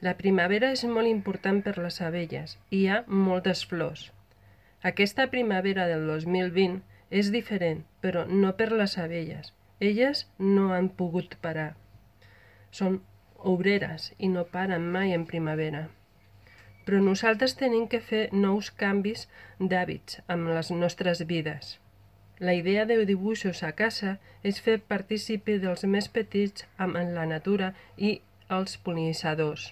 La primavera és molt important per les abelles i hi ha moltes flors. Aquesta primavera del 2020 és diferent, però no per les abelles. Elles no han pogut parar. Són obreres i no paren mai en primavera. Però nosaltres tenim que fer nous canvis d'hàbits amb les nostres vides. La idea de dibuixos a casa és fer partícipe dels més petits amb la natura i els pol·linitzadors.